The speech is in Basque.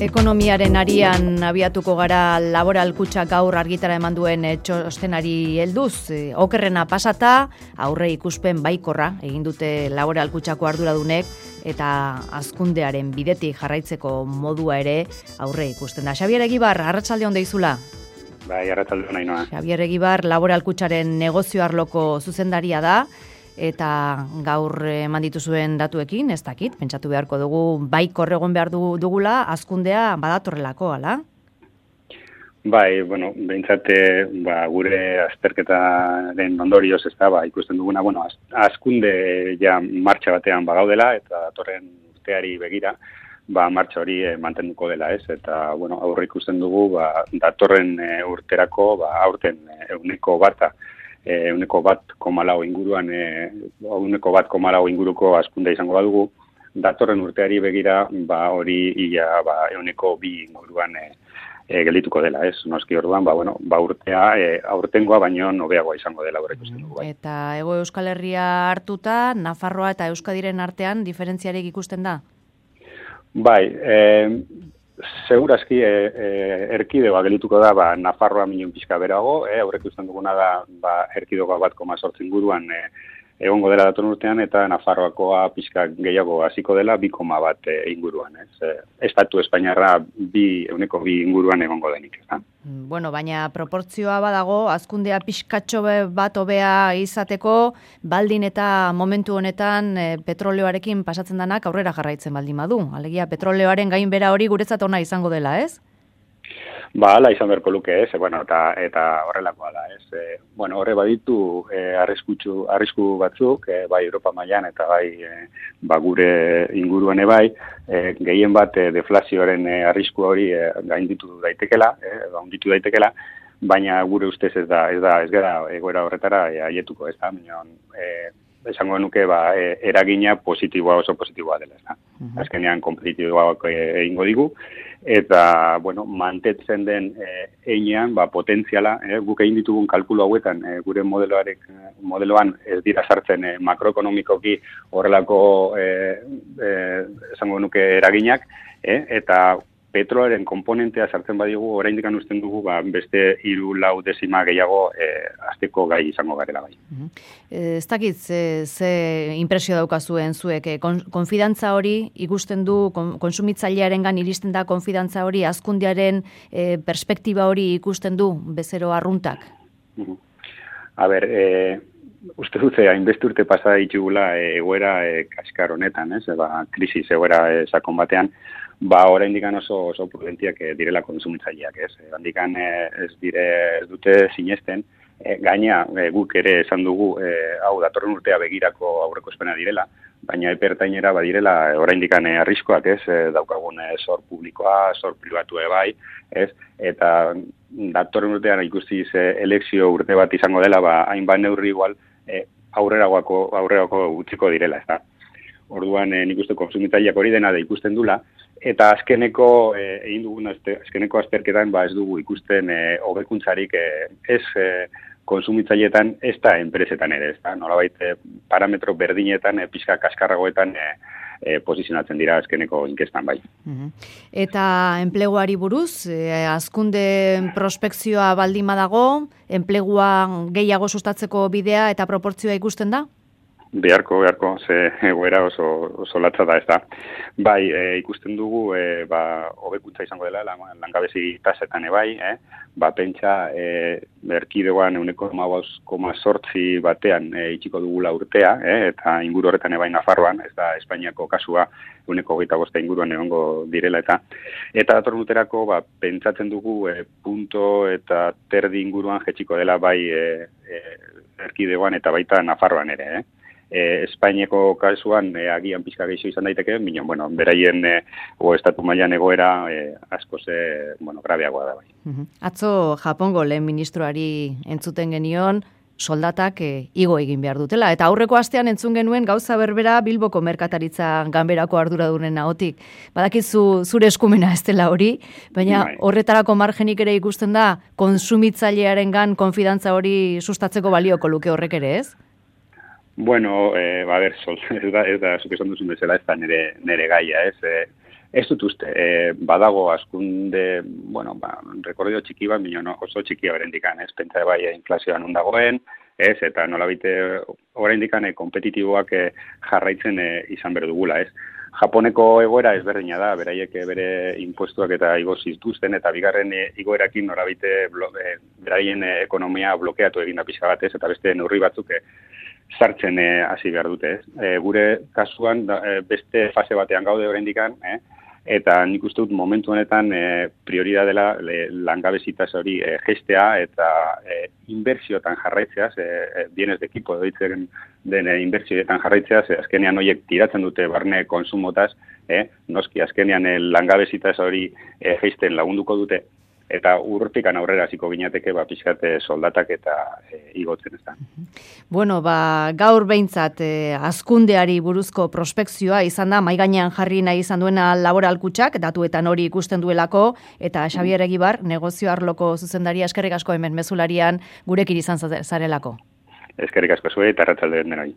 Ekonomiaren arian abiatuko gara Laboral Kutxa gaur argitara eman duen txostenari helduz. Okerrena pasata, aurre ikuspen baikorra egin dute Laboral Kutxako arduradunek eta hazkundearen bidetik jarraitzeko modua ere aurre ikusten da. Xabier Egibar, arratsalde on deizula. Bai, arratsalde on Ainhoa. Xabier Egibar, Laboral Kutxaren negozio arloko zuzendaria da. Eta gaur eman dituzuen datuekin, ez dakit, pentsatu beharko dugu baikor egon behar dugula, hazkundea badatorrelako, ala? Bai, behintzat gure azterketaren ondorioz ez da, ikusten duguna, hazkunde ja martxa batean bagaudela, eta datorren urteari begira, martxa hori mantenduko dela, ez? Eta, aurre ikusten dugu, datorren urterako, aurten euneko bata, euneko 1,4 inguruan, euneko 1,4 inguruko hazkunde izango badugu, datorren urteari begira, hori ia euneko 2 inguruan geldituko dela, ez? Noski orduan, urtea aurtengoa baino hobeagoa izango dela horrek ikusten dugu. Bai. Eta Hego Euskal Herria hartuta, Nafarroa eta Euskadiren artean diferentziarik ikusten da? Bai, segurazki erkidegoa gelituko da Nafarroa minun pixka berago, aurrek ikusten duguna da erkidegoa 1,8 inguruan egongo dela datorren urtean, eta Nafarroakoa pixka gehiago hasiko dela 2,1 inguruan. Estatu Espainiarra euneko 2 inguruan egongo denik. Baina proportzioa badago, hazkundea pixkatxo bat hobea izateko, baldin eta momentu honetan petroleoarekin pasatzen danak aurrera jarraitzen baldin badu. Alegia, petroleoaren gainbera hori guretzat ona izango dela, ez? Hala izan beharko luke, ez? Eta horrelakoa da, ez? Horre baditu arrisku batzuk, bai Europa mailan eta bai gure inguruan bai, gehien bat deflazioaren arrisku hori gainditu daitekela, baina gure ustez ez gara egoera horretara aietuko, ez da? Esango nuke eragina positiboa, oso positiboa dela, ez da? Azkenean kompetitiboak egingo digu, eta, mantetzen den einean, potentziala, guk egin ditugun kalkulu hauetan, gure modeloan ez dira sartzen makroekonomikoki horrelako, esango nuke eraginak, eta petroaren komponentea sartzen badigu, oraindik usten dugu, beste 3-4 dezima gehiago hasteko gai izango garela bai. Ez dakit, ze impresio daukazuen zuek, konfidantza hori ikusten du, konsumitzailearengan iristen da konfidantza hori, hazkundearen perspektiba hori ikusten du, bezero arruntak? Uste dute, hainbeste urte pasa ditugula egoera kaskar honetan, krisis egoera sakon batean, oraindik oso prudentiak direla kontsumitzaileak, ez? Handikan ez dute sinesten, gaina guk ere esan dugu, hau datorren urtea begirako aurrekospena direla, baina epertainera badirela oraindik arriskoak, ez? Daukagun zor publikoa, zor pribatua bai, ez? Eta datorren urtean ikusi elekzio urte bat izango dela, hainbat neurri igual aurrerako utziko direla, ez da? Orduan nik uste kontsumitzaileak hori dena da ikusten dula, eta azkeneko egin dugun azkeneko azterketan ez dugu ikusten hobekuntzarik ez kontsumitzaileetan ez da enpresetan ere, ez da? Nolabait parametro berdinetan pixka kaskarragoetan posizionatzen dira azkeneko inkestan bai. Eta enpleguari buruz, hazkunde prospekzioa baldin badago, enplegua gehiago sustatzeko bidea eta proportzioa ikusten da? Beharko, ze egoera oso latza da, ez da. Bai, ikusten dugu, hobekuntza izango dela, langabezi tasetan bai, pentsa, erkidegoan euneko 5,8 batean itxiko dugula urtea, eta inguru horretan bai Nafarroan, ez da Espainiako kasua, euneko 25 inguruan egongo direla, eta datorren urterako, pentsatzen dugu, punto eta terdi inguruan jetxiko dela bai erkidegoan eta baita Nafarroan ere, Espainiako kasuan agian pizka gehiago izan daiteke, beraien estatu mailan egoera askoz grabeagoa da bai. Atzo Japongo lehen ministroari entzuten genion, soldatak igo egin behar dutela. Eta aurreko astean entzun genuen gauza berbera Bilboko merkataritza ganberako arduradunen ahotik. Badakizu zure eskumena ez dela hori, baina horretarako margenik ere ikusten da konsumitzailearengan konfidantza hori sustatzeko balioko luke horrek ere, ez? Bueno, ez da, zuk esan duzun bezala, ez da nere gaia, ez? Ez dut uste, badago askunde, bueno, rekordio txiki bat, oso txikia berendikan, ez, pentsa bai inflazioan ondagoen, ez, eta nolabite oraindikan kompetitiboak jarraitzen izan behar dugula, ez. Japoneko egoera ezberdina da, beraiek bere impuestuak eta igo zituzten, eta bigarren igoerakin norabite beraien ekonomia blokeatu egin da pixka bat, ez, eta beste neurri batzuk sartzen hasi behar dute, ez. Gure kasuan beste fase batean gaude oraindikan, eta nik uste dut momentu honetan prioridad dela langabezitaz hori gestea eta inbertsioetan jarraitzeaz, bienes de equipo deitzen den inbertsioetan jarraitzeaz, azkenean horiek tiratzen dute barne konsumotaz, noski azkenean langabezitaz hori geisten lagunduko dute, eta urtikan aurrera hasiko ginateke pixkat soldatak eta igotzen ez da. Bueno, gaur behintzat hazkundeari buruzko prospekzioa izan da, mahai gainean jarri nahi izan duena Laboral Kutxak, datuetan hori ikusten duelako, eta Xabier Egibar, negozio arloko zuzendaria, eskerrik asko hemen mezularian gurekin izan zarelako. Eskerrik asko zuei eta arratsalde denoi.